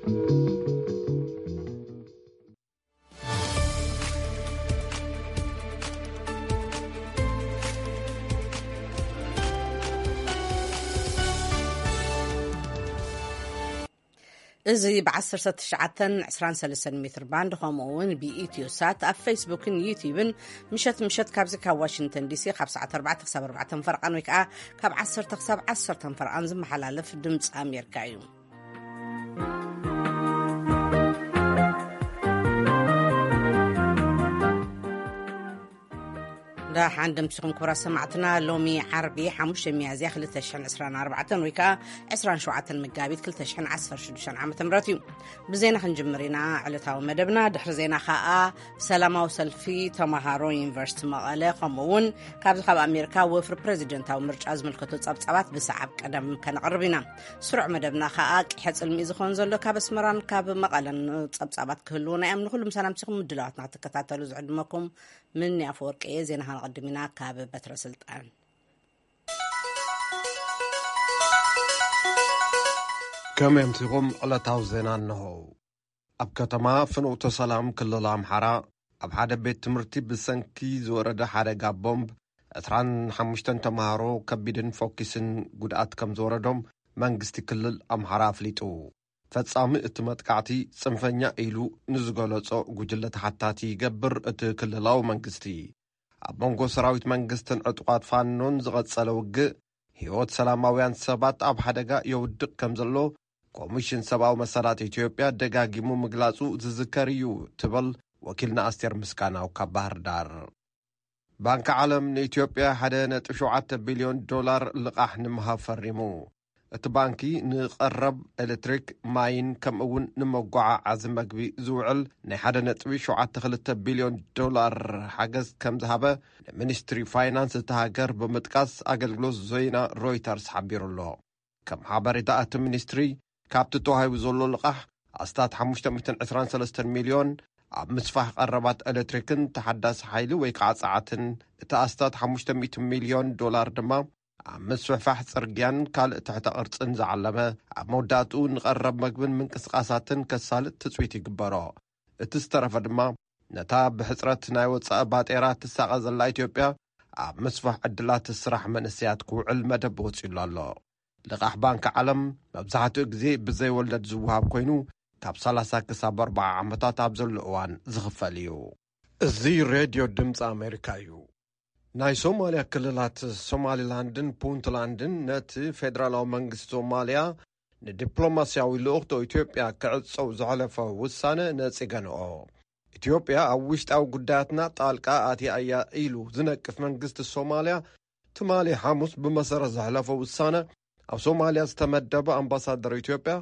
እዚ ብ19 23 ሜትር ባንድ፣ ከምኡ እውን ብኢትዮ ሳት ኣብ ፌስቡክን ዩቲዩብን፣ ምሸት ምሸት ካብዚ ካብ ዋሽንግተን ዲሲ ካብ ሰዓት ኣርባዕተ ክሳብ ኣርባዕተ ፈርቓን ወይ ከዓ ካብ ዓሰርተ ክሳብ ዓሰርተ ፈርቓን ዝመሓላለፍ ድምፂ ኣሜሪካ እዩ። ደሓን ደምሲኹም ክቡራት ሰማዕትና። ሎሚ ዓርቢ ሓሙሽተ ሚያዝያ ክልተ ሽሕን ዕስራን ኣርባዕተን ወይ ከዓ ዕስራን ሸውዓተን መጋቢት ክልተ ሽሕን ዓሰርተ ሽዱሽተን ዓመተ ምህረት እዩ። ብዜና ክንጅምር ኢና ዕለታዊ መደብና። ድሕሪ ዜና ከዓ ሰላማዊ ሰልፊ ተምሃሮ ዩኒቨርሲቲ መቐለ፣ ከምኡ እውን ካብዚ ካብ ኣሜሪካ ወፍሪ ፕሬዚደንታዊ ምርጫ ዝምልከቱ ጸብጻባት ብሰዓብ ቀደም ከነቕርብ ኢና። ስሩዕ መደብና ከዓ ቂሐ ጽልሚ ዝኸውን ዘሎ ካብ ኣስመራን ካብ መቐለን ጸብጻባት ክህልውና እዮም። ንኹሉ ምሳና ምሲኹም ምድላዋትና ክትከታተሉ ዝዕድመኩም ምን ኣፈወርቂ እየ። ዜና ከነቐድም ኢና ካብ በትረ ስልጣን። ከመይ ኣምሲኹም? ዕለታዊ ዜና እንሆ። ኣብ ከተማ ፍኖተ ሰላም ክልል ኣምሓራ ኣብ ሓደ ቤት ትምህርቲ ብሰንኪ ዝወረደ ሓደጋ ቦምብ ዕስራን ሓሙሽተን ተምሃሮ ከቢድን ፎኪስን ጉድኣት ከም ዝወረዶም መንግስቲ ክልል ኣምሓራ ኣፍሊጡ። ፈጻሚ እቲ መጥቃዕቲ ጽንፈኛ ኢሉ ንዝገለጾ ጉጅለ ተሓታቲ ይገብር እቲ ክልላዊ መንግስቲ። ኣብ መንጎ ሰራዊት መንግስትን ዕጡቓት ፋኖን ዝቐጸለ ውግእ፣ ህይወት ሰላማውያን ሰባት ኣብ ሓደጋ የውድቕ ከም ዘሎ ኮሚሽን ሰብኣዊ መሰላት ኢትዮጵያ ደጋጊሙ ምግላጹ ዝዝከር እዩ፣ ትብል ወኪልና ኣስቴር ምስጋናው ካብ ባህር ዳር። ባንኪ ዓለም ንኢትዮጵያ ሓደ ነጥቢ ሸውዓተ ቢልዮን ዶላር ልቓሕ ንምሃብ ፈሪሙ። እቲ ባንኪ ንቐረብ ኤሌክትሪክ፣ ማይን ከምኡ እውን ንመጓዓዓዚ መግቢ ዝውዕል ናይ ሓደ ነጥቢ ሸውዓተ ክልተ ቢልዮን ዶላር ሓገዝ ከም ዝሃበ ንሚኒስትሪ ፋይናንስ እታ ሃገር ብምጥቃስ ኣገልግሎት ዜና ሮይተርስ ሓቢሩ ኣሎ። ከም ሓበሬታ እቲ ሚኒስትሪ፣ ካብቲ ተዋሂቡ ዘሎ ልቓሕ ኣስታት ሓሙሽተ ሚእትን ዕስራን ሰለስተን ሚልዮን ኣብ ምስፋሕ ቀረባት ኤሌክትሪክን ተሓዳሲ ሓይሊ ወይ ከዓ ጸዓትን፣ እቲ ኣስታት ሓሙሽተ ሚእቲ ሚልዮን ዶላር ድማ ኣብ ምስፍሕፋሕ ጽርግያን ካልእ ትሕተ ቅርጽን ዝዓለመ፣ ኣብ መወዳእትኡ ንቐረብ መግብን ምንቅስቃሳትን ከሳልጥ ትጽቢት ይግበሮ። እቲ ዝተረፈ ድማ ነታ ብሕጽረት ናይ ወጻኢ ባጤራ ትሳቐ ዘላ ኢትዮጵያ ኣብ ምስፋሕ ዕድላት ስራሕ መንእሰያት ክውዕል መደብ ወጺሉ ኣሎ። ልቓሕ ባንኪ ዓለም መብዛሕትኡ ግዜ ብዘይ ወለድ ዝወሃብ ኮይኑ፣ ካብ ሰላሳ ክሳብ ኣርባዓ ዓመታት ኣብ ዘሎ እዋን ዝኽፈል እዩ። እዚ ሬድዮ ድምፂ ኣሜሪካ እዩ። ናይ ሶማልያ ክልላት ሶማሊላንድን ፑንትላንድን ነቲ ፌደራላዊ መንግስቲ ሶማልያ ንዲፕሎማስያዊ ልኡኽቶ ኢትዮጵያ ክዕጸው ዘሕለፈ ውሳነ ነጺገንኦ። ኢትዮጵያ ኣብ ውሽጣዊ ጉዳያትና ጣልቃ ኣትያ እያ ኢሉ ዝነቅፍ መንግስቲ ሶማልያ፣ ትማሊ ሓሙስ ብመሰረት ዘሕለፎ ውሳነ፣ ኣብ ሶማልያ ዝተመደበ ኣምባሳደር ኢትዮጵያ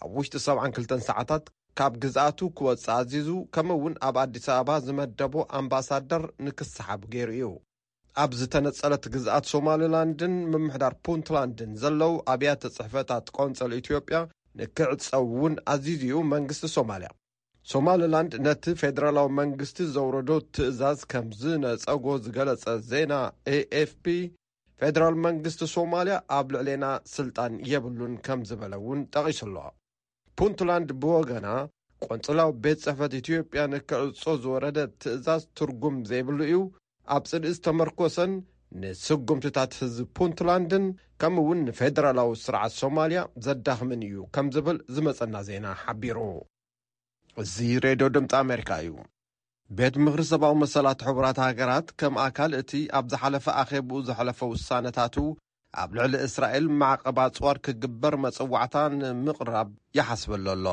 ኣብ ውሽጢ ሰብዓን ክልተን ሰዓታት ካብ ግዝኣቱ ክወጽእ ኣዚዙ፣ ከምኡ እውን ኣብ ኣዲስ ኣበባ ዝመደቦ ኣምባሳደር ንክሰሓብ ገይሩ እዩ። ኣብ ዝተነጸለት ግዝኣት ሶማሊላንድን ምምሕዳር ፑንትላንድን ዘለዉ ኣብያተ ጽሕፈታት ቆንጸል ኢትዮጵያ ንክዕጸው እውን ኣዚዙ እዩ መንግስቲ ሶማልያ። ሶማሊላንድ ነቲ ፌደራላዊ መንግስቲ ዘውረዶ ትእዛዝ ከም ዝነጸጎ ዝገለጸ ዜና ኤኤፍፒ፣ ፌደራል መንግስቲ ሶማልያ ኣብ ልዕሌና ስልጣን የብሉን ከም ዝበለ እውን ጠቒሱ ኣሎ። ፑንትላንድ ብወገና፣ ቆንጽላዊ ቤት ጽሕፈት ኢትዮጵያ ንክዕጾ ዝወረደ ትእዛዝ ትርጉም ዘይብሉ እዩ፣ ኣብ ጽልኢ ዝተመርኮሰን ንስጉምትታት ህዝቢ ፑንትላንድን ከምኡ እውን ንፌደራላዊ ስርዓት ሶማልያ ዘዳኽምን እዩ ከም ዝብል ዝመጸና ዜና ሓቢሩ። እዚ ሬድዮ ድምፂ ኣሜሪካ እዩ። ቤት ምኽሪ ሰብኣዊ መሰላት ሕቡራት ሃገራት ከም ኣካል እቲ ኣብ ዝሓለፈ ኣኼብኡ ዘሕለፈ ውሳነታቱ ኣብ ልዕሊ እስራኤል ማዕቐብ ኣፅዋር ክግበር መፀዋዕታ ንምቕራብ ይሓስበሉ ኣሎ።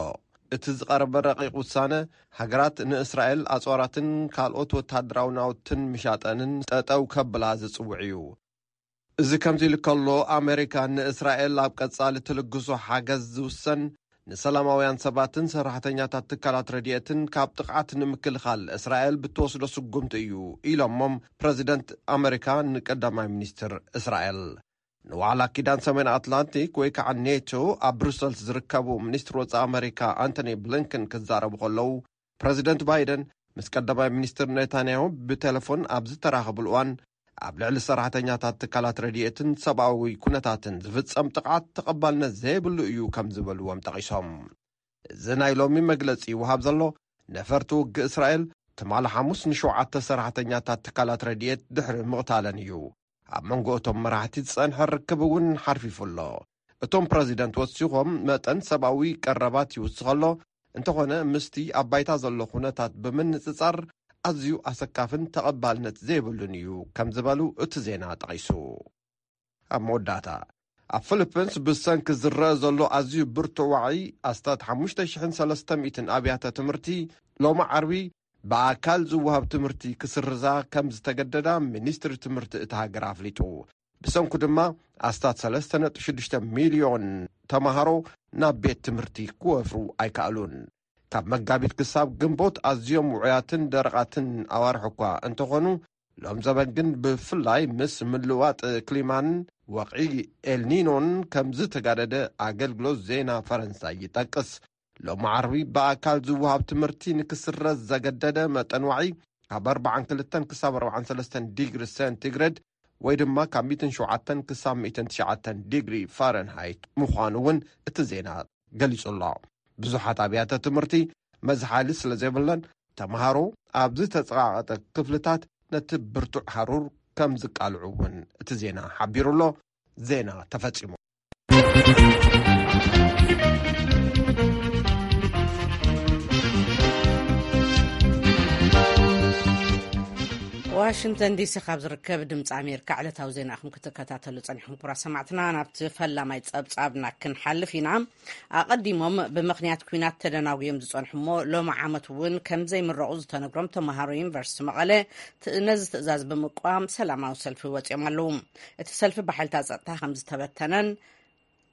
እቲ ዝቐረበ ረቂቕ ውሳነ ሃገራት ንእስራኤል ኣፅዋራትን ካልኦት ወታደራዊ ናውትን ምሻጠንን ጠጠው ከብላ ዝፅውዕ እዩ። እዚ ከምዚ ኢሉ ከሎ፣ ኣሜሪካ ንእስራኤል ኣብ ቀጻሊ ትልግሶ ሓገዝ ዝውሰን ንሰላማውያን ሰባትን ሰራሕተኛታት ትካላት ረድኤትን ካብ ጥቕዓት ንምክልኻል እስራኤል ብትወስዶ ስጉምቲ እዩ ኢሎሞም ፕረዚደንት ኣሜሪካ ንቀዳማይ ሚኒስትር እስራኤል። ንዋዕላ ኪዳን ሰሜን ኣትላንቲክ ወይ ከዓ ኔቶ ኣብ ብሩሰልስ ዝርከቡ ሚኒስትር ወጻኢ ኣሜሪካ ኣንቶኒ ብሊንከን ክዛረቡ ከለዉ፣ ፕረዚደንት ባይደን ምስ ቀዳማይ ሚኒስትር ኔታንያሁ ብቴሌፎን ኣብ ዝተራኸብሉ እዋን፣ ኣብ ልዕሊ ሰራሕተኛታት ትካላት ረድኤትን ሰብኣዊ ኩነታትን ዝፍጸም ጥቕዓት ተቐባልነት ዘይብሉ እዩ ከም ዝበልዎም ጠቒሶም። እዚ ናይ ሎሚ መግለጺ ይወሃብ ዘሎ፣ ነፈርቲ ውግእ እስራኤል ትማሊ ሓሙስ ንሸውዓተ ሰራሕተኛታት ትካላት ረድኤት ድሕሪ ምቕታለን እዩ። ኣብ መንጎ እቶም መራሕቲ ዝጸንሐ ርክብ እውን ሓርፊፉ ኣሎ። እቶም ፕረዚደንት ወሲኾም፣ መጠን ሰብኣዊ ቀረባት ይውስኽ ኣሎ፣ እንተኾነ ምስቲ ኣብ ባይታ ዘሎ ኩነታት ብምንጽጻር ኣዝዩ ኣሰካፍን ተቐባልነት ዘይብሉን እዩ ከም ዝበሉ እቲ ዜና ጠቒሱ። ኣብ መወዳእታ፣ ኣብ ፊሊፒንስ ብሰንኪ ዝረአ ዘሎ ኣዝዩ ብርቱዕ ዋዒ፣ ኣስታት ሓሙሽተ ሽሕን ሰለስተ ሚእትን ኣብያተ ትምህርቲ ሎሚ ዓርቢ ብኣካል ዝወሃብ ትምህርቲ ክስርዛ ከም ዝተገደዳ ሚኒስትሪ ትምህርቲ እታ ሃገር ኣፍሊጡ። ብሰንኩ ድማ ኣስታት ሰለስተ ነጥቢ ሽዱሽተ ሚልዮን ተማሃሮ ናብ ቤት ትምህርቲ ክወፍሩ ኣይከኣሉን። ካብ መጋቢት ክሳብ ግንቦት ኣዝዮም ውዑያትን ደረቓትን ኣዋርሕ እኳ እንተኾኑ፣ ሎም ዘበን ግን ብፍላይ ምስ ምልዋጥ ክሊማን ወቕዒ ኤልኒኖን ከም ዝተጋደደ ኣገልግሎት ዜና ፈረንሳይ ይጠቅስ። ሎም ዓርቢ ብኣካል ዝወሃብ ትምህርቲ ንክስረዝ ዘገደደ መጠን ዋዒ ካብ ኣርባዓን ክልተን ክሳብ ኣርባዓን ሰለስተን ዲግሪ ሴንቲግሬድ ወይ ድማ ካብ ሚእትን ሸውዓተን ክሳብ ሚእትን ትሽዓተን ዲግሪ ፋረንሃይት ምዃኑ እውን እቲ ዜና ገሊጹ ኣሎ። ብዙሓት ኣብያተ ትምህርቲ መዝሓሊ ስለ ዘይብለን፣ ተምሃሮ ኣብ ዝተጸቓቐጠ ክፍልታት ነቲ ብርቱዕ ሃሩር ከም ዝቃልዑ እውን እቲ ዜና ሓቢሩ ኣሎ። ዜና ተፈጺሙ። ዋሽንግተን ዲሲ ካብ ዝርከብ ድምፂ ኣሜሪካ ዕለታዊ ዜና ኢኹም ክትከታተሉ ፀኒሕኩም። ክቡራት ሰማዕትና፣ ናብቲ ፈላማይ ፀብፃብና ክንሓልፍ ኢና። ኣቐዲሞም ብምኽንያት ኲናት ተደናጉዮም ዝፀንሑ እሞ ሎሚ ዓመት እውን ከም ዘይምረቑ ዝተነግሮም ተምሃሮ ዩኒቨርሲቲ መቐለ ት-፣ ነዚ ትእዛዝ ብምቅዋም ሰላማዊ ሰልፊ ወፂኦም ኣለዉ። እቲ ሰልፊ ብሓይልታት ፀጥታ ከም ዝተበተነን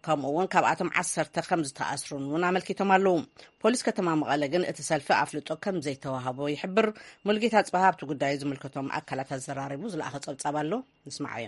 ከምኡ እውን ካብኣቶም ዓሰርተ ከም ዝተኣስሩን እውን ኣመልኪቶም ኣለዉ። ፖሊስ ከተማ መቐለ ግን እቲ ሰልፊ ኣፍልጦ ከም ዘይተዋህቦ ይሕብር። ሙልጌታ ጽባህ ኣብቲ ጉዳይ ዝምልከቶም ኣካላት ኣዘራሪቡ ዝለኣኸ ጸብጻብ ኣሎ፣ ንስማዓዮ።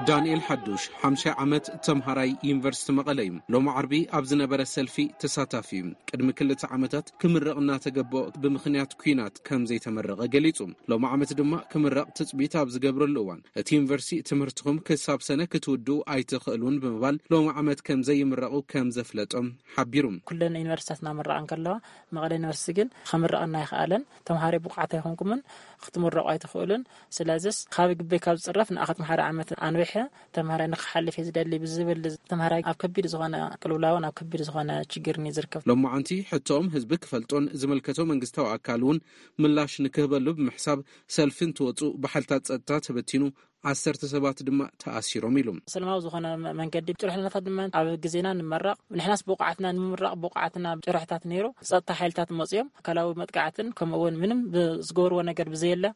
ዳንኤል ሓዱሽ፣ ሓምሻይ ዓመት ተምሃራይ ዩኒቨርሲቲ መቐለ እዩ። ሎሚ ዓርቢ ኣብ ዝነበረ ሰልፊ ተሳታፊ እዩ። ቅድሚ ክልተ ዓመታት ክምረቕ እናተገበኦ ብምኽንያት ኲናት ከም ዘይተመረቐ ገሊጹ። ሎሚ ዓመት ድማ ክምረቕ ትጽቢት ኣብ ዝገብረሉ እዋን፣ እቲ ዩኒቨርሲቲ ትምህርትኹም ክሳብ ሰነ ክትውድኡ ኣይትኽእሉን ብምባል፣ ሎሚ ዓመት ከም ዘይምረቑ ከም ዘፍለጦም ሓቢሩ። ኩለን ዩኒቨርሲታት እናመረቓ እንከለዋ፣ መቐለ ዩኒቨርሲቲ ግን ክምረቐና ኣይኸኣለን። ተምሃሮ ብቑዓት ኣይኮንኩምን፣ ክትምረቑ ኣይትኽእሉን። ስለዚስ ካብ ግበይ ካብ ዝጽረፍ ንኣኸትም ሓደ ዓመት ኣንዊሐ ተምሃራይ ንክሓልፍ እየ ዝደሊ ብዝብል፣ ተምሃራይ ኣብ ከቢድ ዝኾነ ቅልውላውን ኣብ ከቢድ ዝኾነ ችግርን እዩ ዝርከብ። ሎማዓንቲ ሕቶኦም ህዝቢ ክፈልጦን ዝምልከቶ መንግስታዊ ኣካል እውን ምላሽ ንክህበሉ ብምሕሳብ ሰልፊ እንትወፁ ብሓይልታት ፀጥታ ተበቲኑ፣ ዓሰርተ ሰባት ድማ ተኣሲሮም ኢሉ። ሰላማዊ ዝኾነ መ-፣ መንገዲ ጭርሕነታት ድማ ኣብ ግዜና ንመረቕ፣ ንሕናስ ብቑዓትና ንምምራቕ ብቑዓትና ጭርሕታት ነይሩ። ጸጥታ ሓይልታት መፅዮም ኣካላዊ መጥቃዕትን ከምኡ እውን ምንም ብ-፣ ዝገብርዎ ነገር ብዘየለ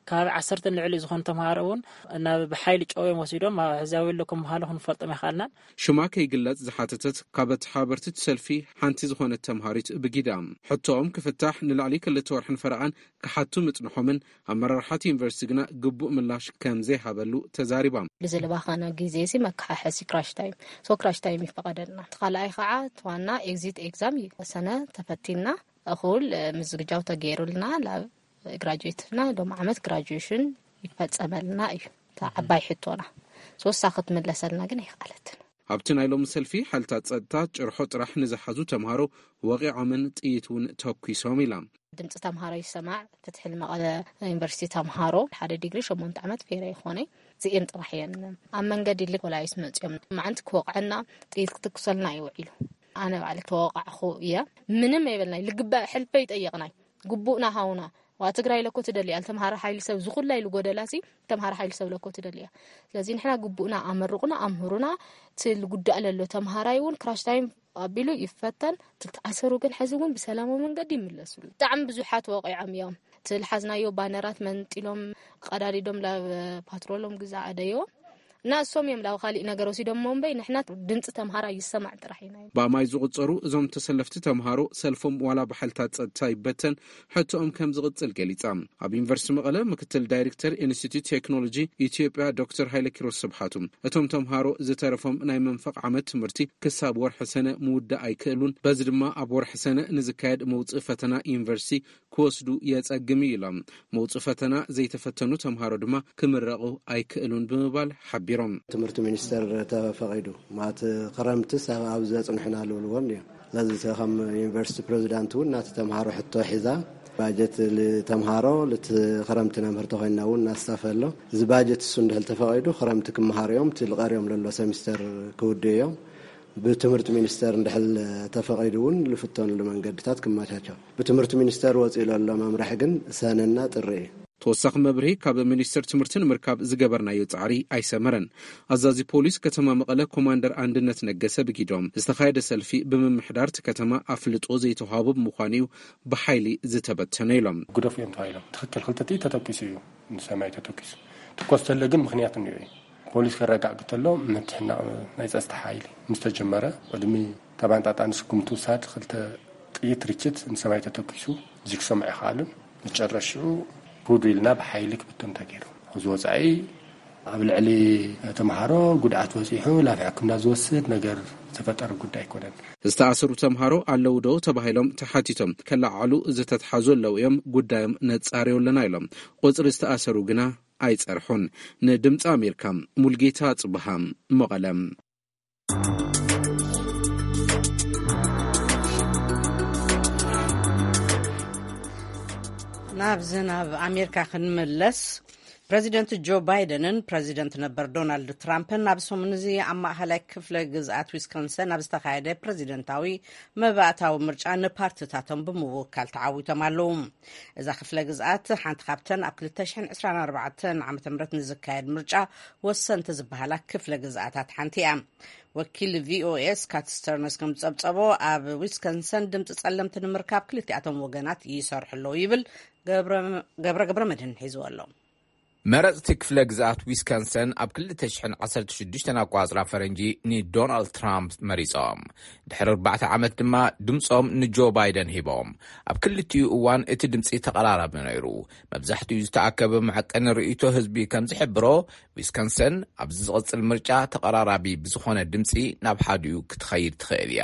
ከባቢ ዓሰርተ ንልዕሊ ዝኾኑ ተምሃሮ እውን ናብ ብሓይሊ ጨውዮም ወሲዶም ኣብ ሕዚ ኣበይ ኣለኩም ምዃኑ ክንፈልጦም ኣይከኣልናን። ሽማ ከይግለጽ ዝሓተተት ካብ ኣተሓባበርቲ እቲ ሰልፊ ሓንቲ ዝኾነት ተምሃሪት ብጊዳ፣ ሕቶኦም ክፍታሕ ንልዕሊ ክልተ ወርሕን ፈረቓን ክሓቱ ምጽንሖምን ኣመራርሓ እቲ ዩኒቨርሲቲ ግና ግቡእ ምላሽ ከም ዘይሃበሉ ተዛሪባ። ብዝለባኸነ ግዜ እዚ መከሓሐሲ ክራሽ ታይም፣ ሶ ክራሽ ታይም ይፈቐደልና። እቲ ካልኣይ ከዓ እቲ ዋና ኤግዚት ኤግዛም እዩ። ሰነ ተፈቲንና እኹል፣ እ፣ ምዝግጃው ተገይሩልና፣ ላብ ግራጁዌትና ሎም ዓመት ግራጁዌሽን ይፈጸመልና እዩ። እታ ዓባይ ሕቶና ሶሳ ክትምለሰልና ግን ኣይኸኣለትን። ኣብቲ ናይ ሎሚ ሰልፊ ሓይልታት ጸጥታ ጭርሖ ጥራሕ ንዝሓዙ ተምሃሮ ወቒዖምን ጥይት እውን ተኲሶም ኢላ። ድምፂ ተምሃሮ ይሰማዕ፣ ፍትሒ ንመቐለ ዩኒቨርሲቲ ተምሃሮ ሓደ ዲግሪ ሸሞንተ ዓመት ፌረ ይኾነ። እዚኤን ጥራሕ እየን ኣብ መንገዲ ልክ ፖላይስ መፅዮም መዓንቲ ክወቕዐና ጥይት ክትኩሰልና እዩ ውዒሉ። ኣነ ባዕሊ ተወቃዕኹ እየ። ምንም የበልናይ፣ ልግባእ ሕልፈ ይጠየቕናይ። ግቡእና ሃውና። ዋ ትግራይ ለኮ ትደሊ እያ፣ ተምሃረ ሓይሊ ሰብ ዝኹላ ኢሉ ጎደላሲ ተምሃረ ሓይሊ ሰብ ለኮ ትደሊ እያ። ስለዚ ንሕና ግቡእና ኣመርቑና፣ ኣምህሩና፣ እቲ ልጉዳእ ለሎ ተምሃራይ እውን ክራሽ ታይም ኣቢሉ ይፈተን። ትተኣሰሩ ግን ሕዚ እውን ብሰላማዊ መንገዲ ይምለሱሉ። ብጣዕሚ ብዙሓት ወቂዖም እዮም። እቲ ልሓዝናዮ ባነራት መንጢሎም ቀዳዲዶም ላብ ፓትሮሎም ግዛ ኣደዮ። እና እሶም እዮም ላብ ካሊእ ነገር ወሲዶሞ እምበይ ንሕና ድምፂ ተምሃራ ይሰማዕ ጥራሕ ኢና። ብኣማይ ዝቑጸሩ እዞም ተሰለፍቲ ተምሃሮ ሰልፎም ዋላ ብሓይልታት ጸጥታ ይበተን ሕቶኦም ከም ዝቕጽል ገሊጻ። ኣብ ዩኒቨርሲቲ መቐለ ምክትል ዳይሬክተር ኢንስቲትዩት ቴክኖሎጂ ኢትዮጵያ ዶክተር ሃይለ ኪሮስ ስብሓቱ፣ እቶም ተምሃሮ ዝተረፎም ናይ መንፈቕ ዓመት ትምህርቲ ክሳብ ወርሒ ሰነ ምውዳእ ኣይክእሉን፣ በዚ ድማ ኣብ ወርሒ ሰነ ንዝካየድ መውጽኢ ፈተና ዩኒቨርሲቲ ክወስዱ የጸግም እዩ ኢሎም። መውጽኢ ፈተና ዘይተፈተኑ ተምሃሮ ድማ ክምረቑ ኣይክእሉን ብምባል ሓቢሮም። ትምህርቲ ሚኒስቴር ተፈቒዱ ማለት ክረምትስ ኣብ ዘጽንሑና ልብልዎን እዮም። ስለዚ ከም ዩኒቨርሲቲ ፕሬዚዳንት እውን ናቲ ተምሃሮ ሕቶ ሒዛ ባጀት ልተምሃሮ ልቲ ክረምቲ ነምህር ተኮይና እውን እናስታፈ ኣሎ። እዚ ባጀት እሱ እንድሕል ተፈቒዱ ክረምቲ ክመሃሩ እዮም። እቲ ልቐርዮም ለሎ ሰሚስተር ክውድኡ እዮም። ብትምህርቲ ሚኒስቴር እንድሕል ተፈቒዱ እውን ልፍተኑሉ መንገድታት ክመቻቸው። ብትምህርቲ ሚኒስቴር ወፂኡ ለሎ መምርሒ ግን ሰነና ጥሪ እዩ። ተወሳኺ መብርሂ ካብ ሚኒስቴር ትምህርቲ ንምርካብ ዝገበርናዮ ጻዕሪ ኣይሰመረን። ኣዛዚ ፖሊስ ከተማ መቐለ ኮማንደር ኣንድነት ነገሰ ብጊዶም ዝተኻየደ ሰልፊ ብምምሕዳር እቲ ከተማ ኣፍልጦ ዘይተዋህቦ ብምዃኑ እዩ ብሓይሊ ዝተበተነ ኢሎም። ግደፉ እዮም ተባሂሎም። ትኽክል፣ ክልተ ጥይት ተተኪሱ እዩ፣ ንሰማይ ተተኪሱ። ትኮስ ተለ ግን ምኽንያት እኒኦ እዩ። ፖሊስ ከረጋግ ተሎ ምትሕናቕ ናይ ጸጥታ ሓይሊ ምስ ተጀመረ፣ ቅድሚ ተባንጣጣን ስጉምቲ ውሳድ ክልተ ጥይት ርችት ንሰማይ ተተኪሱ፣ እዚ ክሰምዑ ይኸኣሉን። መጨረሽዑ ክውዱ ኢልና ብሓይሊ ክብቶም ተገይሩ። እዚ ወጻኢ ኣብ ልዕሊ ተምሃሮ ጉድኣት በጺሑ፣ ላፍ ሕክምና ዝወስድ ነገር ዝተፈጠረ ጉዳይ ኣይኮነን። ዝተኣሰሩ ተምሃሮ ኣለዉ ዶ ተባሂሎም ተሓቲቶም ከለዓዕሉ ዝተትሓዙ ኣለዉ እዮም፣ ጉዳዮም ነጻርዮ ኣለና ኢሎም። ቁጽሪ ዝተኣሰሩ ግና ኣይጸርሑን። ንድምፂ ኣሜሪካ ሙልጌታ ጽብሃ መቐለ። ናብዚ ናብ ኣሜሪካ ክንምለስ፣ ፕረዚደንት ጆ ባይደንን ፕረዚደንት ነበር ዶናልድ ትራምፕን ኣብ ሰሙን እዚ ኣብ ማእኸላይ ክፍለ ግዝኣት ዊስኮንሰን ኣብ ዝተኻየደ ፕረዚደንታዊ መባእታዊ ምርጫ ንፓርትታቶም ብምውካል ተዓዊቶም ኣለዉ። እዛ ክፍለ ግዝኣት ሓንቲ ካብተን ኣብ ክልተ ሽሕን ዕስራን ኣርባዕተን ዓመተ ምህረት ንዝካየድ ምርጫ ወሰንቲ ዝበሃላ ክፍለ ግዝኣታት ሓንቲ እያ። ወኪል ቪኦኤ ስካት ስተርነስ ከም ዝጸብጸቦ፣ ኣብ ዊስኮንሰን ድምፂ ጸለምቲ ንምርካብ ክልቲኣቶም ወገናት ይሰርሑ ኣለዉ ይብል። ገብረ ገብረ መድህን ሒዝዎ ኣሎ። መረፅቲ ክፍለ ግዝኣት ዊስኮንሰን ኣብ ክልተ ሽሕን ዓሰርተ ሽዱሽተን ኣቋፅራ ፈረንጂ ንዶናልድ ትራምፕ መሪፆም። ድሕሪ ኣርባዕተ ዓመት ድማ ድምፆም ንጆ ባይደን ሂቦም። ኣብ ክልቲኡ እዋን እቲ ድምፂ ተቐራራቢ ነይሩ። መብዛሕትኡ ዝተኣከበ መዐቀኒ ርእይቶ ህዝቢ ከም ዝሕብሮ፣ ዊስኮንሰን ኣብዚ ዝቕጽል ምርጫ ተቐራራቢ ብዝኾነ ድምፂ ናብ ሓዲኡ ክትኸይድ ትኽእል እያ።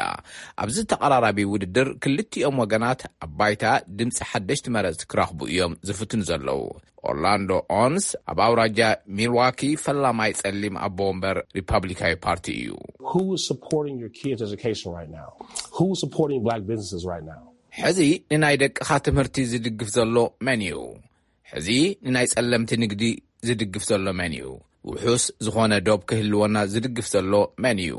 ኣብዚ ተቐራራቢ ውድድር ክልቲኦም ወገናት ኣብ ባይታ ድምፂ ሓደሽቲ መረፅቲ ክረኽቡ እዮም ዝፍትኑ ዘለዉ። ኦርላንዶ ኦንስ ኣብ ኣውራጃ ሚልዋኪ ፈላማይ ጸሊም ኣቦ ወንበር ሪፓብሊካዊ ፓርቲ እዩ። Who is supporting your kids' education right now? Who is supporting black businesses right now? ሕዚ ንናይ ደቅኻ ትምህርቲ ዝድግፍ ዘሎ መን እዩ? ሕዚ ንናይ ጸለምቲ ንግዲ ዝድግፍ ዘሎ መን እዩ? ውሑስ ዝኾነ ዶብ ክህልወና ዝድግፍ ዘሎ መን እዩ?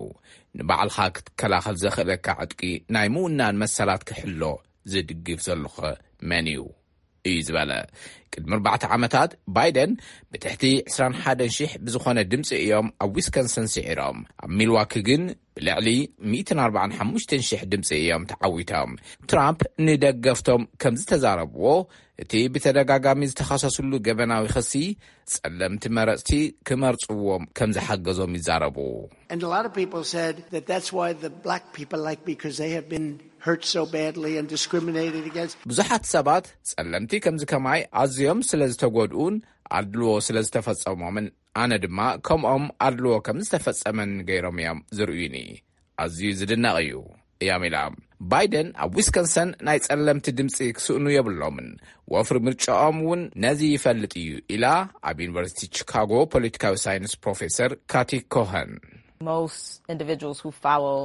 ንባዕልኻ ክትከላኸል ዘኽእለካ ዕጥቂ ናይ ምውናን መሰላት ክሕሎ ዝድግፍ ዘሎኸ መን እዩ? እዩ ዝበለ። ቅድሚ ኣርባዕተ ዓመታት ባይደን ብትሕቲ ዕስራን ሓደን ሽሕ ብዝኾነ ድምፂ እዮም ኣብ ዊስኮንሰን ስዒሮም። ኣብ ሚልዋኪ ግን ብልዕሊ ሚእትን ኣርባዓን ሓሙሽተን ሽሕ ድምፂ እዮም ተዓዊቶም። ትራምፕ ንደገፍቶም ከም ዝተዛረብዎ፣ እቲ ብተደጋጋሚ ዝተኸሰስሉ ገበናዊ ክሲ ጸለምቲ መረጽቲ ክመርጽዎም ከም ዝሓገዞም ይዛረቡ። And a lot of people said that that's why the black people like me, because they have been hurt so badly and discriminated against. ብዙሓት ሰባት ጸለምቲ ከምዚ ከማይ ኣዝዮም ስለ ዝተጎድኡን ኣድልዎ ስለ ዝተፈጸሞምን ኣነ ድማ ከምኦም ኣድልዎ ከም ዝተፈጸመኒ ገይሮም እዮም ዝርእዩኒ። ኣዝዩ ዝድነቕ እዩ እዮም ኢላ። ባይደን ኣብ ዊስኮንሰን ናይ ጸለምቲ ድምጺ ክስእኑ የብሎምን፣ ወፍሪ ምርጫኦም እውን ነዚ ይፈልጥ እዩ ኢላ ኣብ ዩኒቨርሲቲ ቺካጎ ፖለቲካዊ ሳይንስ ፕሮፌሰር ካቲ ኮኸን። Most individuals who follow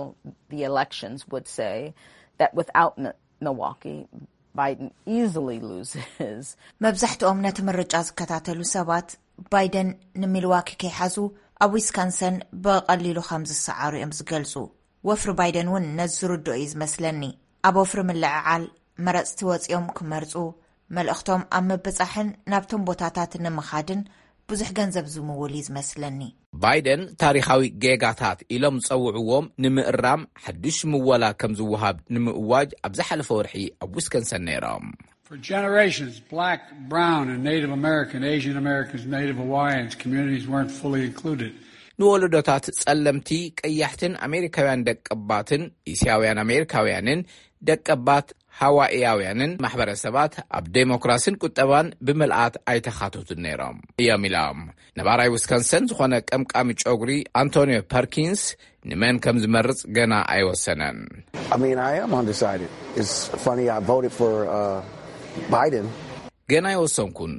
the elections would say that without Mi- Milwaukee, Biden easily loses. መብዛሕትኦም ነቲ ምርጫ ዝከታተሉ ሰባት ባይደን ንሚልዋኪ ከይሓዙ ኣብ ዊስካንሰን ብቐሊሉ ከም ዝሰዓሩ እዮም ዝገልጹ። ወፍሪ ባይደን እውን ነዚ ዝርድኦ እዩ ዝመስለኒ። ኣብ ወፍሪ ምልዕዓል መረጽቲ ወጺኦም ክመርጹ፣ መልእኽቶም ኣብ ምብጻሕን ናብቶም ቦታታት ንምኻድን ብዙሕ ገንዘብ ዝምውል እዩ ዝመስለኒ። ባይደን ታሪኻዊ ጌጋታት ኢሎም ዝጸውዕዎም ንምእራም ሓድሽ ምወላ ከም ዝወሃብ ንምእዋጅ ኣብ ዝሓለፈ ወርሒ ኣብ ዊስኮንሰን ነይሮም። For generations, black, brown, and Native American, Asian Americans, Native Hawaiians communities weren't fully included. ንወለዶታት ጸለምቲ፣ ቀያሕትን ኣሜሪካውያን ደቀባትን፣ እስያውያን ኣሜሪካውያንን ደቀባት ሃዋኢያውያንን ማሕበረሰባት ኣብ ዴሞክራሲን ቁጠባን ብምልኣት ኣይተኻተቱን ነይሮም እዮም ኢሎም። ነባራይ ዊስኮንሰን ዝኾነ ቀምቃሚ ጨጉሪ ኣንቶኒዮ ፐርኪንስ ንመን ከም ዝመርጽ ገና ኣይወሰነን። I mean, I am undecided. It's funny, I voted for uh, Biden. ገና ኣይወሰንኩን።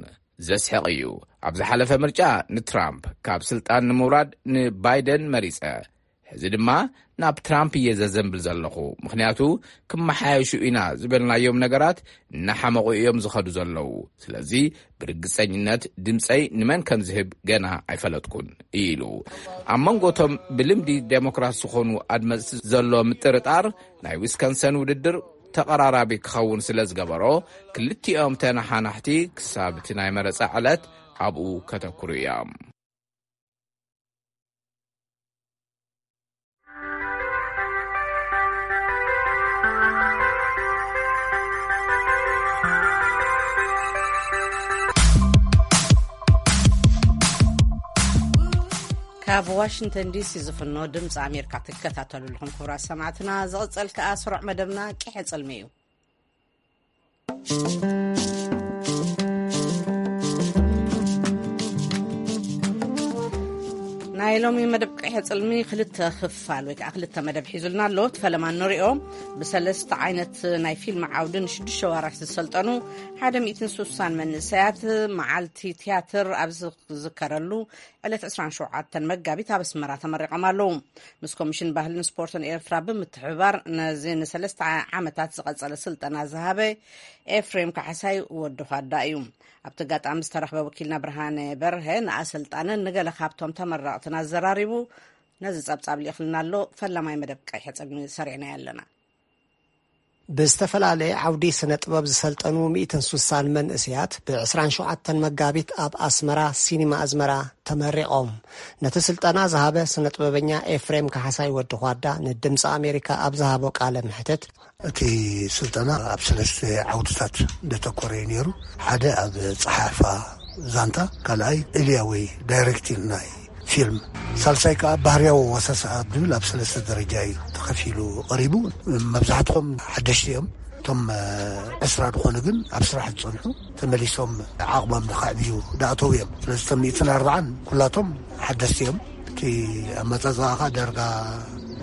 ዘስሕቕ እዩ። ኣብ ዝሓለፈ ምርጫ ንትራምፕ፣ ካብ ስልጣን ንምውራድ ንባይደን መሪጸ። ሕዚ ድማ ናብ ትራምፕ እየ ዘዘንብል ዘለኹ። ምኽንያቱ፣ ክመሓየሹ ኢና ዝበልናዮም ነገራት እናሓመቑ እዮም ዝኸዱ ዘለዉ። ስለዚ ብርግጸኝነት ድምጸይ ንመን ከም ዝህብ ገና ኣይፈለጥኩን፣ ኢሉ። ኣብ መንጎቶም ብልምዲ ዴሞክራት ዝኾኑ ኣድመጽቲ ዘሎ ምጥርጣር፣ ናይ ዊስኮንሰን ውድድር ተቐራራቢ ክኸውን ስለ ዝገበሮ፣ ክልቲኦም ተነሓናሕቲ ክሳብ እቲ ናይ መረጻ ዕለት ኣብኡ ከተኩሩ እዮም። ካብ ዋሽንግተን ዲሲ ዝፍኖ ድምፂ ኣሜሪካ ትከታተሉ ኣለኹም ክቡራት ሰማዕትና። ዝቕፅል ከኣ ስሩዕ መደብና ቂሐ ጽልሚ እዩ። ናይ ሎሚ መደብ ቂሐ ጽልሚ ክልተ ክፋል ወይ ከዓ ክልተ መደብ ሒዙልና ኣሎ። እቲ ፈለማ ንሪኦ። ብሰለስተ ዓይነት ናይ ፊልም ዓውዲ ንሽዱሽተ ዋርሕ ዝሰልጠኑ ሓደ ሚእትን ስሳን መንእሰያት መዓልቲ ትያትር ኣብ ዝዝከረሉ ዕለት ዕስራን ሸውዓተን መጋቢት ኣብ ኣስመራ ተመሪቖም ኣለዉ። ምስ ኮሚሽን ባህልን ስፖርትን ኤርትራ ብምትሕብባር ነዚ ንሰለስተ ዓመታት ዝቐጸለ ስልጠና ዝሃበ ኤፍሬም ካሕሳይ ወዲ ኳዳ እዩ። ኣብቲ ኣጋጣሚ ዝተረኽበ ወኪልና ብርሃነ በርሀ ንኣሰልጣንን ንገለ ካብቶም ተመረቕትን ኣዘራሪቡ ነዚ ጸብጻብ ልኢኽልና ኣሎ። ፈላማይ መደብ ቀይሐ ጽልሚ ሰሪዕናዮ ኣለና። ብዝተፈላለየ ዓውዲ ስነ ጥበብ ዝሰልጠኑ ሚእትን ስሳን መንእሰያት ብ ዕስራን ሸውዓተን መጋቢት ኣብ ኣስመራ ሲኒማ ኣዝመራ ተመሪቖም። ነቲ ስልጠና ዝሃበ ስነ ጥበበኛ ኤፍሬም ካሕሳይ ወዲ ኳዳ ንድምፂ ኣሜሪካ ኣብ ዝሃቦ ቃለ ምሕትት፣ እቲ ስልጠና ኣብ ሰለስተ ዓውድታት እንደተኮረ እዩ ነይሩ። ሓደ ኣብ ጸሓሕፋ ዛንታ፣ ካልኣይ እልያ ወይ ዳይሬክቲንግ ናይ ፊልም፣ ሳልሳይ ከኣ ባህርያዊ ወሰሳ ኣብ ዝብል ኣብ ሰለስተ ደረጃ እዩ ተኸፊሉ ቀሪቡ። መብዛሕትኦም ሓደሽቲ እዮም። እቶም ዕስራ ዝኾኑ ግን ኣብ ስራሕ ዝጸንሑ ተመሊሶም ዓቕሞም ንኸዕብዩ ዝኣተዉ እዮም። ስለዚ እቶም ሚእትን ኣርባዓን ኩላቶም ሓደስቲ እዮም። እቲ ኣመጻጽኣ ከኣ ዳርጋ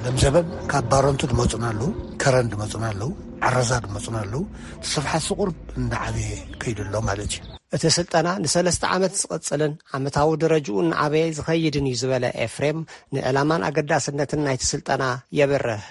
ለምዘበን ካብ ባረንቱ ዝመጹና ኣለዉ፣ ከረን ዝመጹና ኣለዉ፣ ዓረዛ ዝመጹና ኣለዉ። እቲ ስፍሓት ቁርብ እንዳዓበየ ከይዱ ኣሎ ማለት እዩ። እቲ ስልጠና ንሰለስተ ዓመት ዝቕጽልን ዓመታዊ ደረጅኡ እናዓበየ ዝኸይድን እዩ ዝበለ ኤፍሬም፣ ንዕላማን ኣገዳስነትን ናይቲ ስልጠና የብርህ።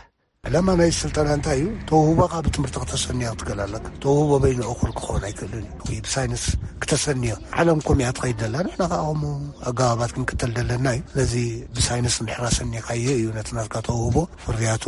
ዕላማ ናይ ስልጠና እንታይ እዩ? ተውህቦኻ ብትምህርቲ ክተሰንዮ ክትክእል ኣለካ። ተውህቦ በይኑ እኹል ክኸውን ኣይክእልን እዩ። ወይ ብሳይንስ ክተሰንዮ። ዓለም ከምኡ እያ ትኸይድ ዘላ። ንሕና ከዓ ከምኡ ኣገባባት ክንክተል ዘለና እዩ። ስለዚ ብሳይንስ እንድሕር ኣሰኒኻዮ እዩ ነቲ ናትካ ተውህቦ ፍርያቱ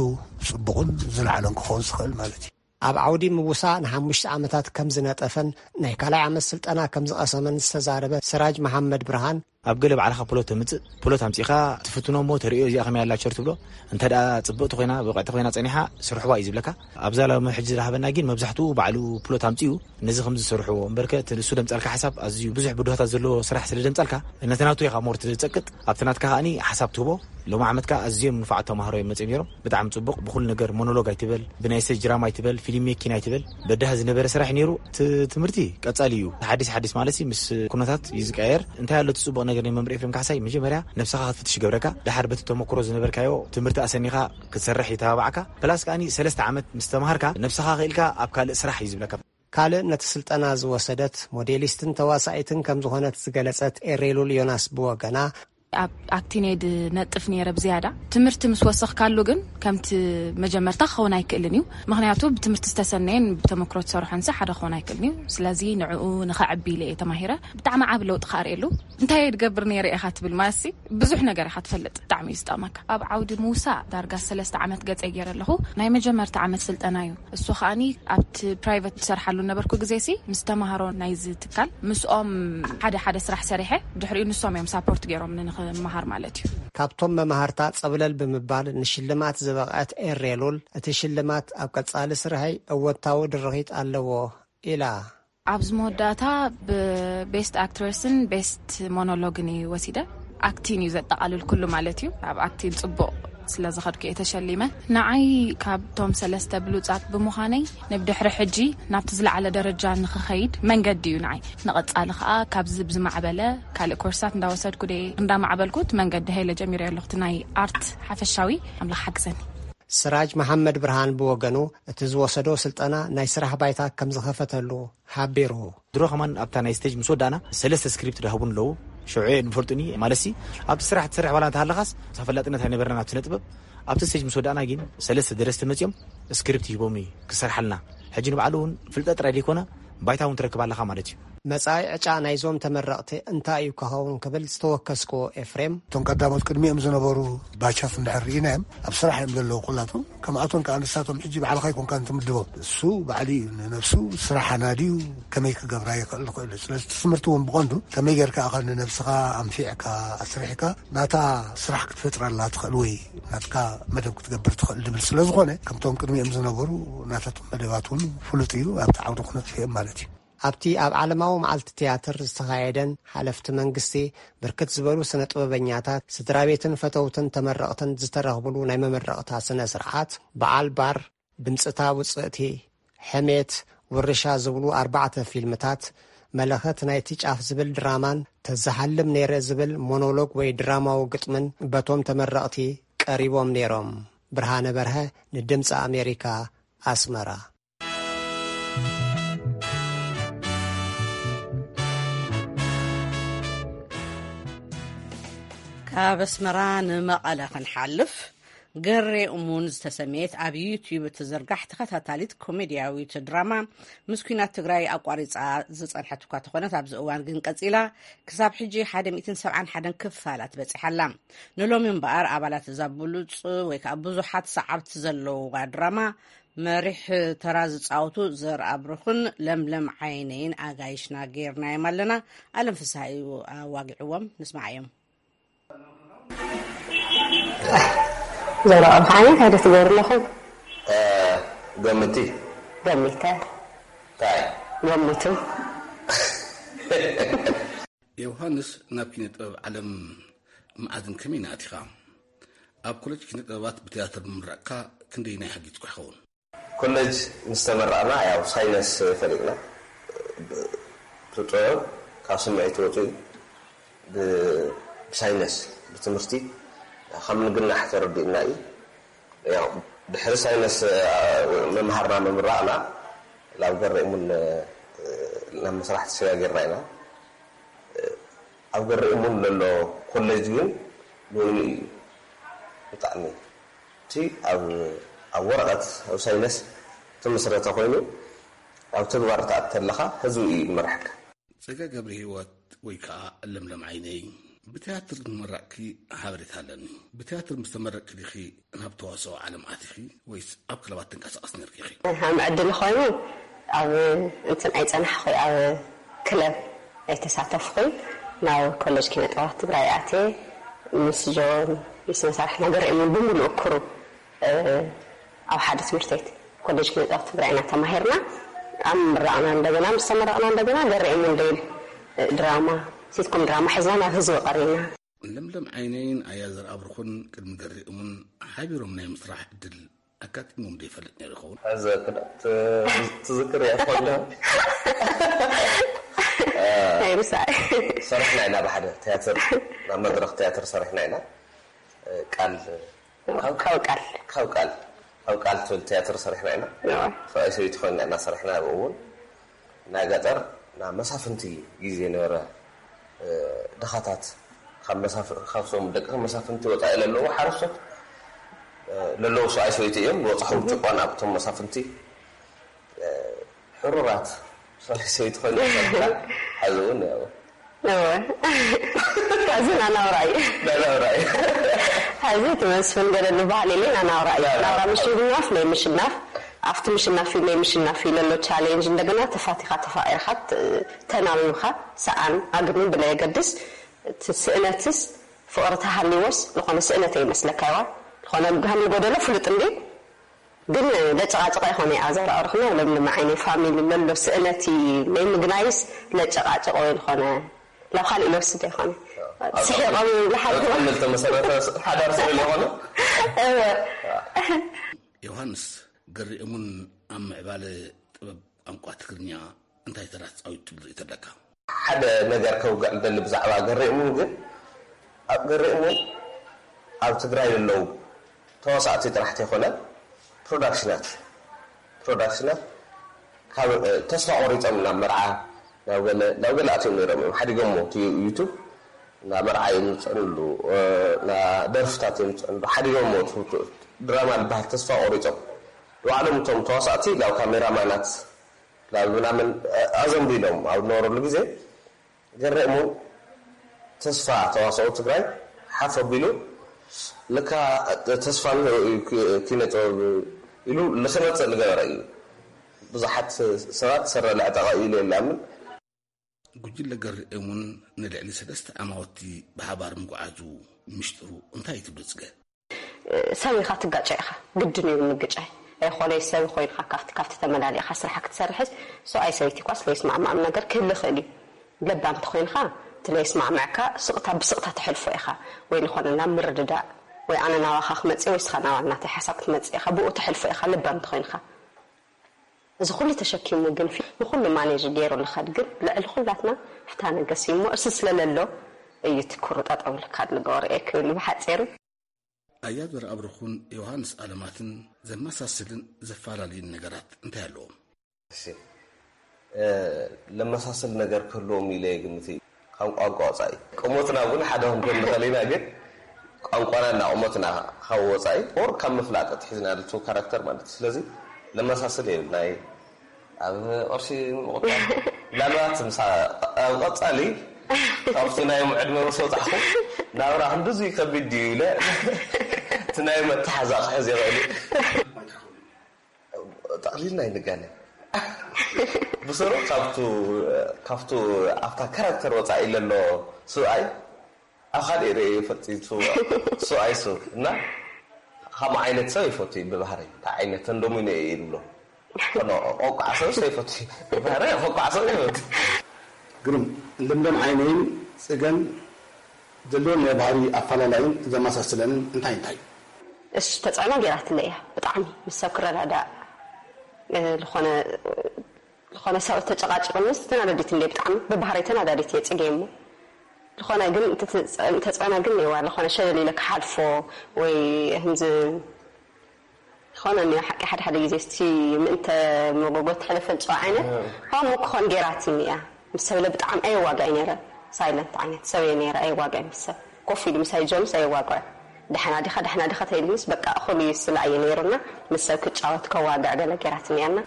ጽቡቕን ዝለዓለን ክኸውን ዝኽእል ማለት እዩ። ኣብ ዓውዲ ምውሳ ንሓሙሽተ ዓመታት ከም ዝነጠፈን ናይ ካልኣይ ዓመት ስልጠና ከም ዝቐሰመን ዝተዛረበ ስራጅ መሓመድ ብርሃን፣ ኣብ ገለ ባዕልኻ ፕሎት ተምጽእ፣ ፕሎት ኣምጺእኻ ትፍትኖ እሞ ተርእዮ እዚኣ ከመይ ኣላ ቸር ትብሎ። እንተ ደኣ ጽብቕቲ ኮይና፣ ብቕዕቲ ኮይና ጸኒሓ፣ ስርሕዋ እዩ ዝብለካ። ኣብዛ ሎሚ ሕጂ ዝረሃበና ግን መብዛሕትኡ ባዕሉ ፕሎት ኣምጺኡ፣ ነዚ ከምዚ ዝሰርሕዎ እምበርከ፣ እቲ ንሱ ደምጻልካ ሓሳብ ኣዝዩ ብዙሕ ብድሆታት ዘለዎ ስራሕ ስለ ደምጻልካ፣ ነቲ ናቱ ኢኻ ሞር ትጸቅጥ፣ ኣብቲ ናትካ ከኣኒ ሓሳብ ትህቦ። ሎም ዓመት ከኣ ኣዝዮም ንፉዓት ተማሃሮ እዮም መጺኦም ነይሮም። ብጣዕሚ ጽቡቕ፣ ብኹሉ ነገር ሞኖሎግ ኣይትበል፣ ብናይ ስቴጅ ድራማ ኣይትበል፣ ፊልም ሜኪን ኣይትበል። በዳህ ዝነበረ ስራሕ እዩ ነይሩ። እቲ ትምህርቲ ቀጻሊ እዩ። ሓዲስ ሓዲስ ማለት ሲ ምስ ኩነታት እዩ ዝቀየር። እንታይ ኣሎ እቲ ጽቡቕ ነገር ናይ መምህር ኤፍሬም ካሕሳይ? መጀመርያ ነብስኻ ክትፍትሽ ይገብረካ። ደሓር በቲ ተመክሮ ዝነበርካዮ ትምህርቲ ኣሰኒኻ ክትሰርሕ ይተባብዓካ። ፕላስ ከኣኒ ሰለስተ ዓመት ምስ ተማሃርካ ነብስኻ ክኢልካ ኣብ ካልእ ስራሕ እዩ ዝብለካ። ካልእ ነቲ ስልጠና ዝወሰደት ሞዴሊስትን ተዋሳኢትን ከም ዝኾነት ዝገለጸት ኤሬሉል ዮናስ ብወገና፣ ኣብ ኣክቲንግ እየ ድነጥፍ ነይረ ብዝያዳ። ትምህርቲ ምስ ወሰኽካሉ ግን ከምቲ መጀመርታ ክኸውን ኣይክእልን እዩ። ምኽንያቱ ብትምህርቲ ዝተሰነየን ብተመክሮ ዝሰርሖን ሲ ሓደ ክኸውን ኣይክእልን እዩ። ስለዚ ንዕኡ ንኸዕቢ ኢለ እየ ተማሂረ። ብጣዕሚ ዓቢ ለውጢ ከኣ ርእየሉ። እንታይ እየ ድገብር ነይረ ኢኻ ትብል ማለትሲ ብዙሕ ነገር ኢኻ ትፈልጥ። ብጣዕሚ እዩ ዝጠቕመካ። ኣብ ዓውዲ ምውሳእ ዳርጋ ሰለስተ ዓመት ገጸ ገይረ ኣለኹ። ናይ መጀመርታ ዓመት ስልጠና እዩ። እሱ ከኣኒ ኣብቲ ፕራይቨት ዝሰርሓሉ ነበርኩ ግዜ ሲ ምስ ተማሃሮ ናይዚ ትካል ምስኦም ሓደ ሓደ ስራሕ ሰሪሐ፣ ድሕሪኡ ንሶም እዮም ሳፖርት ገይሮም ንክመሃር ማለት እዩ። ካብቶም መማህርታ ጸብለል ብምባል ንሽልማት ዝበቕዐት ኤሬሉል፣ እቲ ሽልማት ኣብ ቀጻሊ ስርሐይ እወታዊ ድርኺት ኣለዎ ኢላ። ኣብዚ መወዳእታ ብቤስት ኣክትረስን ቤስት ሞኖሎግን እዩ ወሲደ። ኣክቲን እዩ ዘጠቓልል ኩሉ ማለት እዩ። ኣብ ኣክቲን ጽቡቕ ስለ ዝኸድኩ እየ ተሸሊመ። ንዓይ ካብቶም ሰለስተ ብሉጻት ብምዃነይ ንብድሕሪ ሕጂ ናብቲ ዝለዓለ ደረጃ ንኽኸይድ መንገዲ እዩ ንዓይ። ንቐጻሊ ኸኣ ካብዚ ብዝማዕበለ ካልእ ኮርሳት እንዳወሰድኩ ደየ እንዳማዕበልኩት መንገዲ ሄለ ጀሚረ ኣለኹ። እቲ ናይ ኣርት ሓፈሻዊ ኣምላኽ ሓግዘኒ። ስራጅ መሓመድ ብርሃን ብወገኑ፣ እቲ ዝወሰዶ ስልጠና ናይ ስራሕ ባይታ ከም ዝኸፈተሉ ሓቢሩ። ድሮ ከማን ኣብታ ናይ ስቴጅ ምስ ወዳእና ሰለስተ ስክሪፕት ዳህቡን ኣለዉ። ሽዑ ንፈልጡኒ ማለት ሲ ኣብቲ ስራሕ ትሰርሕ ባላ እንተሃለኻስ ተፈላጥነት ኣይነበረና ኣብቲ ነጥበብ። ኣብቲ ስቴጅ ምስ ወዳእና ግን ሰለስተ ደረስቲ መፅኦም ስክሪፕት ሂቦም እዩ ክሰርሓልና። ሕጂ ንባዕሉ እውን ፍልጠት ጥራይ ዘይኮነ ባይታ እውን ትረክብ ኣለኻ ማለት እዩ። መጻኢ ዕጫ ናይዞም ተመረቕቲ እንታይ እዩ ክኸውን ክብል ዝተወከስክዎ ኤፍሬም፣ እቶም ቀዳሞት ቅድሚኦም ዝነበሩ ባቻት እንድሕር ርኢናዮም፣ ኣብ ስራሕ እዮም ዘለዉ ኩላቶም። ከምኣቶም ከኣ ንሳቶም ሕጂ ባዕልኻ ኣይኮንካን ትምድቦም። እሱ ባዕሉ እዩ ንነብሱ ስራሕ ኣናድዩ ከመይ ክገብራ ይኽእል ዝኽእል። ስለዚ እቲ ትምህርቲ እውን ብቐንዱ ከመይ ጌርካ ኢኻ ንነብስኻ ኣንፊዕካ ኣስሪሕካ ናታ ስራሕ ክትፈጥረላ ትኽእል ወይ ናትካ መደብ ክትገብር ትኽእል ድብል ስለ ዝኾነ፣ ከምቶም ቅድሚኦም ዝነበሩ ናታቶም መደባት እውን ፍሉጥ እዩ። ኣብቲ ዓውዲ ክነጥፍኦም ማለት እዩ። ኣብቲ ኣብ ዓለማዊ መዓልቲ ትያትር ዝተኻየደን ሓለፍቲ መንግስቲ፣ ብርክት ዝበሉ ስነ ጥበበኛታት፣ ስድራ ቤትን ፈተውትን ተመረቕትን ዝተረኽብሉ ናይ መመረቕታ ስነ ስርዓት፣ በዓል ባር፣ ድምፅታ ውፅእቲ፣ ሕሜት፣ ውርሻ ዝብሉ ኣርባዕተ ፊልምታት፣ መለኸት ናይቲ ጫፍ ዝብል ድራማን ተዘሓልም ነይረ ዝብል ሞኖሎግ ወይ ድራማዊ ግጥምን በቶም ተመረቕቲ ቀሪቦም ነይሮም። ብርሃነ በርሀ ንድምፂ ኣሜሪካ፣ ኣስመራ። ካብ ኣስመራ ንመቐለ ክንሓልፍ፣ ገሬ እሙን ዝተሰምየት ኣብ ዩትዩብ እትዝርጋሕ ተኸታታሊት ኮሜድያዊት ድራማ፣ ምስ ኲናት ትግራይ ኣቋሪጻ ዝጸንሐት እኳ ተኾነት፣ ኣብዚ እዋን ግን ቀጺላ ክሳብ ሕጂ ሓደ ሚእትን ሰብዓን ሓደን ክፋላት በጺሓ ኣላ። ንሎሚ እምበኣር፣ ኣባላት እዛ ብሉጽ ወይ ከኣ ብዙሓት ሰዓብቲ ዘለውዋ ድራማ መሪሕ ተራ ዝጻወቱ ዘርኣብሩኽን ለምለም ዓይነይን ኣጋይሽና ጌርናዮም ኣለና። ኣለም ፍስሃ እዩ ኣዋጊዕዎም። ንስማዓዮም። ዘርኣብሩኽ ዓይነይ፣ እንታይ ዶ ትገብሩ ኣለኹም? ገምቲ። ገሚተ። እንታይ? ገምቱ። ዮሃንስ፣ ናብ ኪነ ጥበብ ዓለም መዓዝን ከመይን ኣቲኻ? ኣብ ኮለጅ ኪነ ጥበባት ብትያትር ምምራቕካ ክንደየናይ ሓጊዝኩ ይኸውን? ኮለጅ ምስ ተመረቕና፣ ያው ሳይነስ ፈሊጥና። እቲ ጥበብ ካብ ስምዒት ወፂኡ ብ- ብሳይነስ፣ ብትምህርቲ ከም ንግናሕ ተረዲእና እዩ። ያው ድሕሪ ሳይነስ ምምሃርና ምምራቕና ናብ ገሬ እሙን ናብ ምስራሕ ተሰጋጊርና ኢና። ኣብ ገሬ እሙን ዘሎ ኮሌጅ ግን ንበይኑ እዩ ብጣዕሚ እቲ ኣብ ኣብ ወረቐት ኣብ ሳይነስ ተመስረተ ኮይኑ ኣብ ተግባር ትኣቱ ተለኻ ህዝቢ እዩ ዝመርሐካ። ጸጋ ገብረሂወት ወይ ከኣ ለምለም ዓይነይ፣ ብትያትር ንመራቕኪ ሓበሬታ ኣለኒ። ብትያትር ምስ ተመረቕኪ ዲኺ ናብ ተዋስኦ ዓለም ኣቲኺ ወይስ ኣብ ክለባት ትንቀሳቐሲ ነይርኪ ኢኺ? ከም ዕድል ኮይኑ ኣብ እንትን ኣይጸናሕኹይ፣ ኣብ ክለብ ኣይተሳተፍኹይ። ናብ ኮሌጅ ኪነ ጥበባት ትግራይ ኣትየ ምስ ጆን ምስ መሳርሕትና ገሪኦምን ብምሉእ ክሩ ኣብ ሓደ ትምህርት ቤት ኮሌጅ ኪነ ጥበብ ትግራይ ኢና ተማሂርና። ኣብ ምምራቕና እንደገና ምስ ተመረቕና እንደገና ገሬ እሙን ሌል ድራማ ሲትኮም ድራማ ሒዝና ናብ ህዝቢ ቀሪብና። ለምለም ዓይነይን ኣያ ዘርኣብሩኽን ቅድሚ ገሬ እሙን ሓቢሮም ናይ ምስራሕ ዕድል ኣጋጢሞም ዶ ይፈልጥ ነይሩ ይኸውን? ሕዚ ክዳ ትዝክር እያ ትኾን ዶ? ኣይርሳዕ። ሰሪሕና ኢና ብሓደ ትያትር ናብ መድረኽ ትያትር ሰሪሕና ኢና ቃል ካብ ቃል ካብ ቃል ትብል ትያትር ሰሪሕና ኢና። ሰብኣይ ሰበይቲ ኮይና ኢና ሰሪሕና። ኣብኡ እውን ናይ ገጠር ናብ መሳፍንቲ ግዜ ነበረ። ድኻታት ካብ መሳፍ- ካብ ሶም ደቂ መሳፍንቲ ወፃኢ ለለዉ ሓረስቶት ለለዉ ሰብኣይ ሰበይቲ እዮም ዝበፅሖም ጭቆና ኣብቶም መሳፍንቲ ሕሩራት ሰብኣይ ሰበይቲ ኮይና ሰርካ። ሓዚ እውን ያው እወ። ሐዚ ናናውራ እዩ። ናናውራ እዩ። ሐዚ እቲ መስፍን ገለ ዝበሃል የለ ናናውራ እዩ። ናናውራ። ናናውራ ምሽናፍ ለይ ምሽናፍ ኣብቲ ምሽናፍ እዩ ለይ ምሽናፍ እዩ ለሎ ቻሌንጅ እንደገና ተፋቲኻ ተፋቂርካ ት- ተናቢብካ ሰኣን ኣግድሚ ብለየገድስ እቲ ስእነትስ ፍቕሪ ተሃልዎስ ዝኾነ ስእነት ይመስለካ ይዋ ዝኾነ ብግሃም ዝጎደሎ ፍሉጥ እንዲ ግን ለጨቃጨቃ ይኾነ ኣዘራርኽና ለምለም ዓይነ ፋሚሊ ለሎ ስእነቲ ለይ ምግናይስ ለጨቃጨቆ ይኾነ ላብ ካልእ ለወስድ ይኾነ ስሒቆም ይብሉ ሓንቲ ኣብ ክልል ተመሰረተ ሓዳር ስለ ዝኾነ እወ ዮሃንስ ገሪኦሙን ኣብ ምዕባለ ጥበብ ቋንቋ ትግርኛ እንታይ ተራ ተፃዊቱ ትብል ርእይቶ ኣለካ? ሓደ ነገር ከውግዕ ደሊ ብዛዕባ ገሬ እሙን ግን ኣብ ገሬ እሙን ኣብ ትግራይ ዘለዉ ተዋሳእቲ ጥራሕ ተይኮነ ፕሮዳክሽናት ፕሮዳክሽናት ካብ ተስፋ ቆሪፆም ናብ መርዓ ናብ ገለ ናብ ገለ ኣትዮም ነይሮም እዮም ሓዲጎሞ እቲ ዩቱብ ናብ መርዓ እዮም ዝፅዕንሉ ናብ ደርፍታት እዮም ዝፅዕንሉ ሓዲጎሞ ድራማ ዝበሃል ተስፋ ቆሪፆም ንባዕሎም እቶም ተዋሳእቲ ናብ ካሜራማናት ናብ ምናምን ኣዘንቢሎም ኣብ ዝነበረሉ ግዜ ገረሙ ተስፋ ተዋሳኦ ትግራይ ሓፍ ኣቢሉ ለካ ተስፋን ኪነ ጥበብ ኢሉ ልክመፅእ ልገበረ እዩ። ብዙሓት ሰባት ሰረ ልዕጠቐ ኢሉ የላምን። ጉጅለ ገርኤሙን ንልዕሊ ሰለስተ ኣማወቲ ብሓባር ምጉዓዙ ምሽጥሩ እንታይ ትብሉ ፅገ? ሰብ ኢኻ ትጋጨ ኢኻ ግድን እዩ ምግጫይ ኣይኾነይ ሰብ ኮይንካ ካብቲ ካብቲ ተመላሊእካ ስራሓ ክትሰርሕስ ሰብኣይ ሰበይቲ ኳስ ለይስማዕማዕም ነገር ክህሊ ይኽእል እዩ ለባም ተኮይንካ እቲ ለይስማዕማዕካ ስቕታ ብስቕታ ተሕልፎ ኢኻ ወይ ዝኾነ ናብ ምርድዳእ ወይ ኣነ ናባኻ ክመፅእ ወይ ስኻ ናባ ናተይ ሓሳብ ክትመፅእ ኢኻ ብኡ ተሕልፎ ኢኻ ለባም ተኮይንካ እዚ ኩሉ ተሸኪሙ ግን ንኩሉ ማኔጅ ገይሩ ልኸድ ግን ልዕሊ ኩላትና ፍትሃ ነገስ እዩ እሞ እርሲ ስለለሎ እዩ ትኩሩ ጠጠው ልካድ ልገበሩ እየ ክብል ብሓፂሩ ኣያዘር ኣብርኹን ዮሃንስ ኣለማትን ዘመሳስልን ዘፈላለዩን ነገራት እንታይ ኣለዎም? ለመሳስል ነገር ክህልዎም ኢለ ግምት እዩ ካብ ቋንቋ ወፃኢ ቁመትና እውን ሓደ ክንኮን ንኽእል ኢና ግን ቋንቋና እና ቁመትና ካብ ወፃኢ ኦር ካብ ምፍላጥ ኣትሒዝና ልቱ ካራክተር ማለት እዩ ስለዚ ለመሳስል የብልና እዩ ኣብ ቅርሺ ምቁጣብ ምናልባት ምሳ ኣብ ቀፃሊ ካብቲ ናይ ዕድመ ምስ ወፃዕኹ ናብራ ክንድዙ ከቢድ ድዩ ኢለ እቲ ናይ መተሓዛ ክሕዝ ይኽእል እዩ ጠቕሊልና ኣይንጋነ ብስሩ ካብቱ ካብቱ ኣብታ ካራክተር ወፃኢ ለሎ ስብኣይ ኣብ ካልእ ርእየ ይፈልጥ እዩ ሰብኣይ ሰብ እና ከም ዓይነት ሰብ ይፈቱ እዩ ብባህሪ እንታይ ዓይነት ተንደሙነ እዩ ይብሎ ቆቋዕ ሰብ ይፈቱ ባህሪ ቆቋዕ ሰብ ይፈቱ ግርም ለምለም ዓይነይን ፅገን ዘለዎም ናይ ባህሪ ኣፈላለይን ዘመሳስለንን እንታይ እንታይ እዩ? እሺ ተፅዕኖ ገይራትለይ እያ ብጣዕሚ ምስ ሰብ ክረዳዳእ ዝኾነ ዝኾነ ሰብ ተጨቃጭቅንስ ተናደዲት እንደ ብጣዕሚ ብባህሪ ተናዳዲት እየ ፅገ እሞ ዝኾነ ግን ተፅዕኖ ግን እዋ ዝኾነ ሸለል ኢለ ክሓልፎ ወይ ህምዚ ዝኾነ እኒኦ ሓቂ ሓደ ሓደ ግዜ እስቲ ምእንተ መጎጎ ትሕለፈን ፅዋ ዓይነት ከምኡ ክኾን ገይራትኒ እያ ምስ ሰብለ ብጣዕሚ ኣየዋጋይ ነይረ ሳይለንት ዓይነት ሰብ እየ ነይረ ኣየዋጋይ ምስ ሰብ ኮፍ ኢሉ ምሳይ ጆምስ ኣየዋግዖ ደሕና ዲኻ ደሕና ዲኻ ተይልኒስ በቃ እኹል እዩ ስላ እየ ነይሩና ምስ ሰብ ክጫወት ከዋግዕ ገለ ገይራትኒ እያና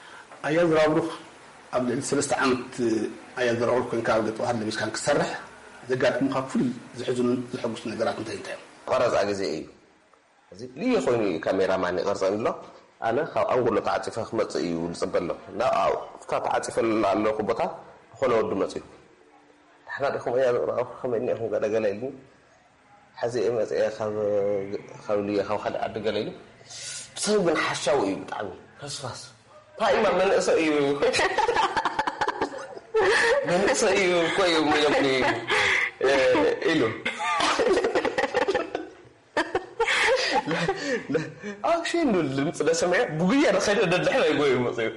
ኣያ ዝራብሩኽ ኣብ ልዕሊ ሰለስተ ዓመት ኣያ ዝራብሩኽ ኮንካ ኣብ ገጠ ባህር ለቢስካን ክትሰርሕ ዘጋጥሙኻ ፍሉይ ዝሕዝኑን ዘሐጉሱ ነገራት እንታይ እንታይ እዮም? ቀረፃ ግዜ እዩ እዚ ልየ ኮይኑ እዩ ካሜራ ማን ይቐርፀኒ ኣሎ ኣነ ካብ ኣንጎሎ ተዓፂፈ ክመፅእ እዩ ዝፅበ ኣሎ ናብ ኣብታ ተዓፂፈ ኣለኹ ቦታ ዝኾነ ወዲ መፅኡ ንሕና ዲኹም እያ ዝቕረብኩም ከመይ እኒኹም ገለ ገለ ኢልኒ ሕዚ እየ መፅአ ካብ ልየ ካብ ካልእ ዓዲ ገለ ኢሉ ሰብ ግን ሓሻዊ እዩ ብጣዕሚ ፈስፋስ ታይማ መንእሰ እዩ መንእሰ እዩ እኮ እዩ ሚለኩ ኢሉ ኣክሽን ድምፅ ለሰምዐ ብጉያ ደኸደ ደድሕረ ይጎዩ መፅኡ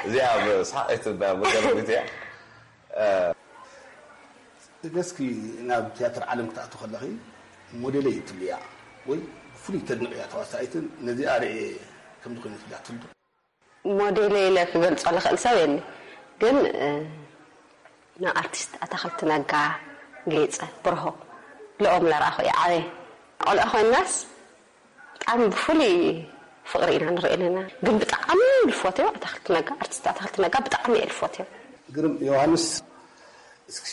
እዚኣ ሳቂት መገረሚት እያ ገስኪ ናብ ትያትር ዓለም ክትኣቱ ከለኺ ሞዴለይ ትብልያ ወይ ብፍሉይ ተድንቕያ ተዋሳኢትን ነዚኣ ርኤ ከምዚ ኮይነ ትብላ ትፍልጡ ሞዴለ ኢለ ክገልጾ ልኽእል ሰብ የለ ግን ንኣርቲስት ኣታኽልቲ ነጋ ጌፀ ብርሆ ልኦም ለረኣኹ እየ ዓበየ ቆልዓ ኮይናስ ብጣዕሚ ብፍሉይ ፍቕሪ ኢና ንርኢ ኣለና ግን ብጣዕሚ ልፎትዮ ኣታኽልቲ ነጋ ኣርቲስት ኣታኽልቲ ነጋ ብጣዕሚ እየ ልፎትዮ ግርም ዮሃንስ እስኪ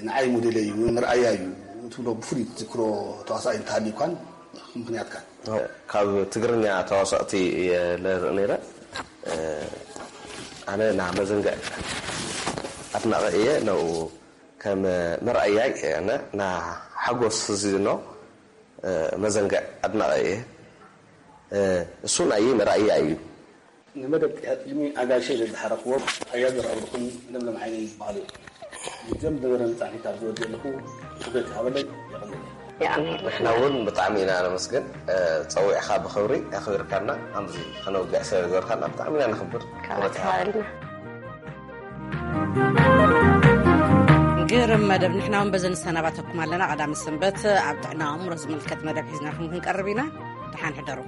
ንዓይ ሞዴለይ እዩ ወይ መርኣያ እዩ ትብሎ ብፍሉይ ትዝክሮ ተዋሳኣይ እንተሃልዩካን ምክንያትካን ካብ ትግርኛ ተዋሳእቲ እየ ለርኢ ነይረ ኣነ ና መዘንግዕ ኣድናቒ እየ ነኡ ከም መርኣያይ ኣነ ና ሓጎስ ዝኖ መዘንግዕ ኣድናቒ እየ እሱ ናይ መርኣያ እዩ ንመደብ ቅድሚ ኣጋይሸይ ዘዝሓረኽዎም ኣያ ዘርኣብርኹን ለምለም ዓይነይ ይበሃሉ እዮም። ምጀም ዝነበረ መጻሕፊት ኣብ ዝወደለኹ ክብረት ይሃበለይ የቐንየለይ። ንሕና እውን ብጣዕሚ ኢና ነመስግን። ጸዊዕኻ ብኽብሪ ኣኽቢርካና ከምዚ ከነውግዕ ስለ ዝገበርካና ብጣዕሚ ኢና ነኽብር። ክብረት ይሃበልና። ግርም መደብ ንሕና እውን በዚ ንሰናባተኩም ኣለና። ቀዳሚ ሰንበት ኣብ ጥዕና ኣእምሮ ዝምልከት መደብ ሒዝናኹም ክንቀርብ ኢና። ደሓን ሕደሩ።